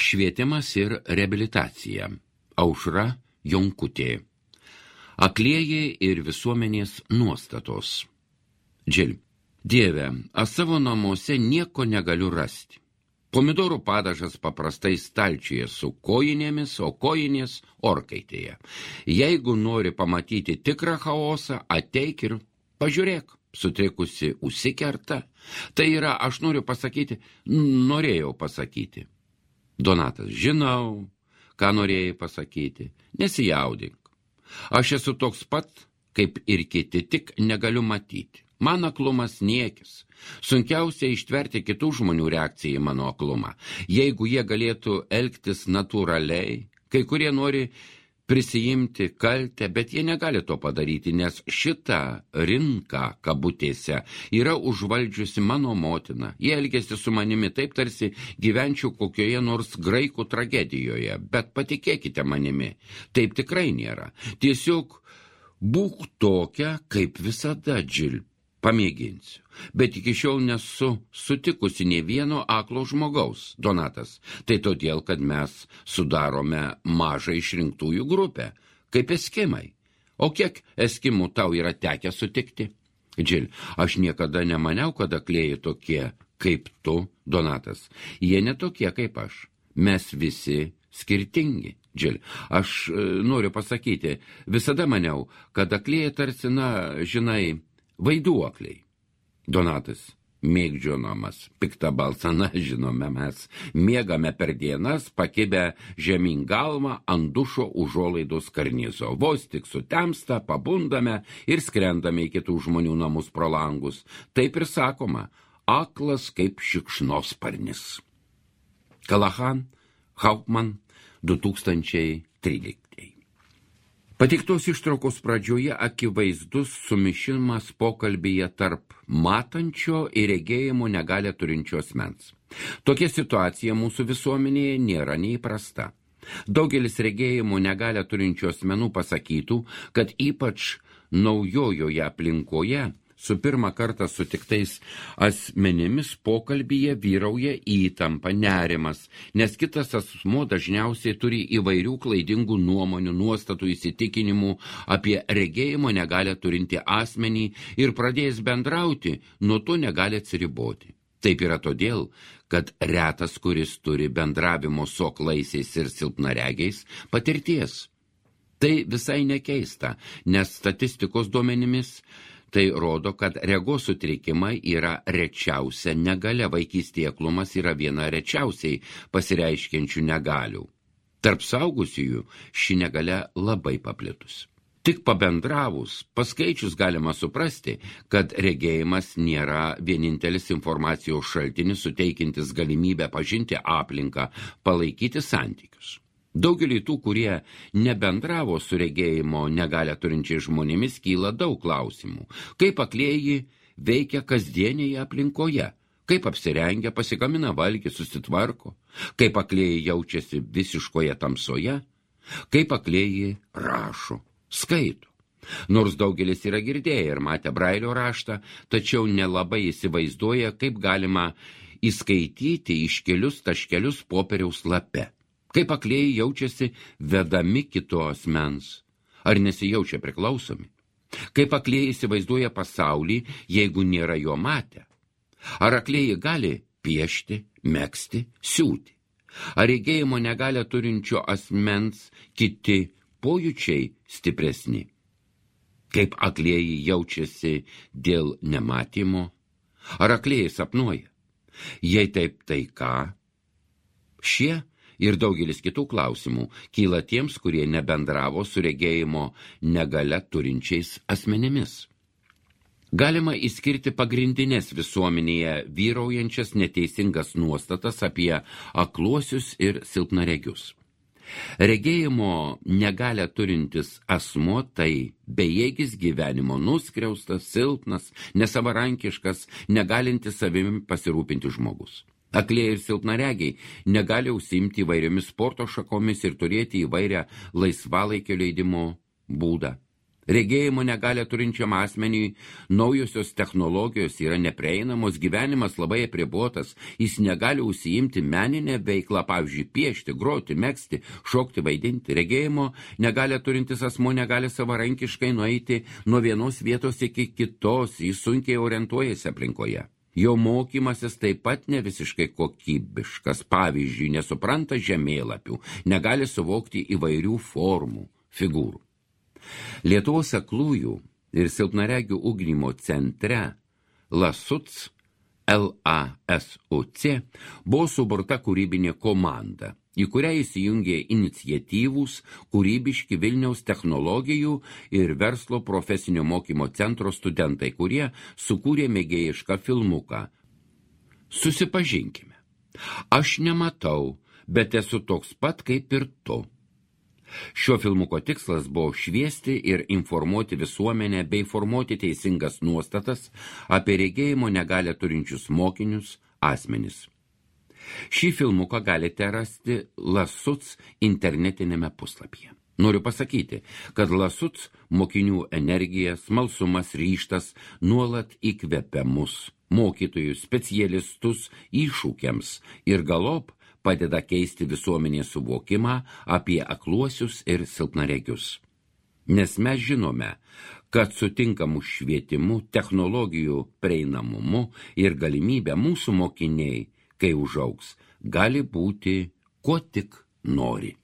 Švietimas ir reabilitacija. Aušra Jonkutė. Aklieji ir visuomenės nuostatos. Džil. Dieve, aš savo namuose nieko negaliu rasti. Pomidorų padažas paprastai stalčiuje su kojinėmis, o kojinės orkaitėje. Jeigu nori pamatyti tikrą chaosą, ateik ir pažiūrėk. Sutrikusi užsikerta. Tai yra, aš norėjau pasakyti. Donatas, žinau, ką norėjai pasakyti. Nesijaudink. Aš esu toks pat, kaip ir kiti, tik negaliu matyti. Man aklumas niekis. Sunkiausia ištverti kitų žmonių reakciją į mano aklumą. Jeigu jie galėtų elgtis natūraliai, kai kurie nori prisijimti kaltę, bet jie negali to padaryti, nes šitą rinką, kabutėse, yra užvaldžiusi mano motina. Jie elgėsi su manimi taip, tarsi gyvenčiau kokioje nors graikų tragedijoje, bet patikėkite manimi, taip tikrai nėra. Tiesiog būk tokia, kaip visada, Džil. Pamėginsiu, bet iki šiol nesu sutikusi nė vieno aklo žmogaus, Donatas. Tai todėl, kad mes sudarome mažą išrinktųjų grupę, kaip eskimai. O kiek eskimų tau yra tekę sutikti? Džil, aš niekada nemaniau, kad aklieji tokie kaip tu, Donatas. Jie netokie kaip aš. Mes visi skirtingi. Džil, aš noriu pasakyti, visada maniau, kad aklieji tarsi, žinai, vaiduokliai. Donatas, mėgdžionamas, piktą balsą, žinome, mes miegame per dienas, pakibę žemyn galvą ant dušo užuolaidos karnizo. Vos tik sutemsta, pabundame ir skrendame į kitų žmonių namus pro langus. Taip ir sakoma, aklas kaip šikšnosparnis. Callahan, Hauptmann, 2013. Pateiktos ištraukos pradžioje akivaizdus sumišimas pokalbyje tarp matančio ir regėjimo negalią turinčio asmens. Tokia situacija mūsų visuomenėje nėra neįprasta. Daugelis regėjimo negalią turinčių asmenų pasakytų, kad ypač naujojoje aplinkoje su pirmą kartą sutiktais asmenimis pokalbyje vyrauja įtampa, nerimas, nes kitas asmuo dažniausiai turi įvairių klaidingų nuomonių, nuostatų, įsitikinimų apie regėjimo negalią turinti asmenį ir pradėjęs bendrauti, nuo to negali atsiriboti. Taip yra todėl, kad retas, kuris turi bendravimo su aklaisiais ir silpnaregiais patirties. Tai visai nekeista, nes statistikos duomenimis tai rodo, kad regos sutrikimai yra rečiausia negalia, vaikystėje aklumas yra viena rečiausiai pasireiškiančių negalių. Tarp suaugusiųjų ši negalia labai paplitus. Tik pabendravus, paskaičius galima suprasti, kad regėjimas nėra vienintelis informacijos šaltinis suteikintis galimybę pažinti aplinką, palaikyti santykius. Daugelį tų, kurie nebendravo su regėjimo negalią turinčiais žmonėmis, kyla daug klausimų. Kaip aklieji veikia kasdienėje aplinkoje? Kaip apsirengia, pasigamina valgį, susitvarko? Kaip aklieji jaučiasi visiškoje tamsoje? Kaip aklieji rašo, skaito? Nors daugelis yra girdėję ir matę Brailio raštą, tačiau nelabai įsivaizduoja, kaip galima įskaityti iškelius taškelius popieriaus lape. Kaip aklieji jaučiasi vedami kito asmens, ar nesijaučia priklausomi? Kaip aklieji įsivaizduoja pasaulį, jeigu nėra jo matę? Ar aklieji gali piešti, megzti, siūti? Ar regėjimo negalią turinčio asmens kiti pojūčiai stipresni? Kaip aklieji jaučiasi dėl nematymo? Ar aklieji sapnuoja? Jei taip, tai ką? Šie ir daugelis kitų klausimų kyla tiems, kurie nebendravo su regėjimo negalią turinčiais asmenimis. Galima išskirti pagrindinės visuomenėje vyraujančias neteisingas nuostatas apie akluosius ir silpnaregius. Regėjimo negalią turintis asmuo tai bejėgis gyvenimo, nuskriaustas, silpnas, nesavarankiškas, negalintis savimi pasirūpinti žmogus. Aklieji ir silpnaregiai negali užsiimti įvairiomis sporto šakomis ir turėti įvairią laisvalaikio leidimo būdą. Regėjimo negalią turinčiam asmeniui naujosios technologijos yra neprieinamos, gyvenimas labai apribotas, jis negali užsiimti meninę veiklą, pavyzdžiui, piešti, groti, megzti, šokti, vaidinti. Regėjimo negalią turintis asmuo negali savarankiškai nueiti nuo vienos vietos iki kitos, jis sunkiai orientuojasi aplinkoje. Jo mokymasis taip pat ne visiškai kokybiškas, pavyzdžiui, nesupranta žemėlapių, negali suvokti įvairių formų, figūrų. Lietuvos aklųjų ir silpnaregių ugdymo centre LASUC buvo suburta kūrybinė komanda, į kurią įsijungė iniciatyvūs, kūrybiški Vilniaus technologijų ir verslo profesinio mokymo centro studentai, kurie sukūrė mėgėjišką filmuką. Susipažinkime. Aš nematau, bet esu toks pat kaip ir tu. Šio filmuko tikslas buvo šviesti ir informuoti visuomenę bei formuoti teisingas nuostatas apie regėjimo negalią turinčius mokinius asmenis. Šį filmuką galite rasti LASUC internetinėme puslapyje. Noriu pasakyti, kad LASUC mokinių energija, smalsumas, ryžtas nuolat įkvepia mus, mokytojus, specialistus iššūkiams ir galop padeda keisti visuomenės suvokimą apie akluosius ir silpnaregius. Nes mes žinome, kad su tinkamu švietimu, technologijų prieinamumu ir galimybę mūsų mokiniai, kai užaugs, gali būti, ko tik nori.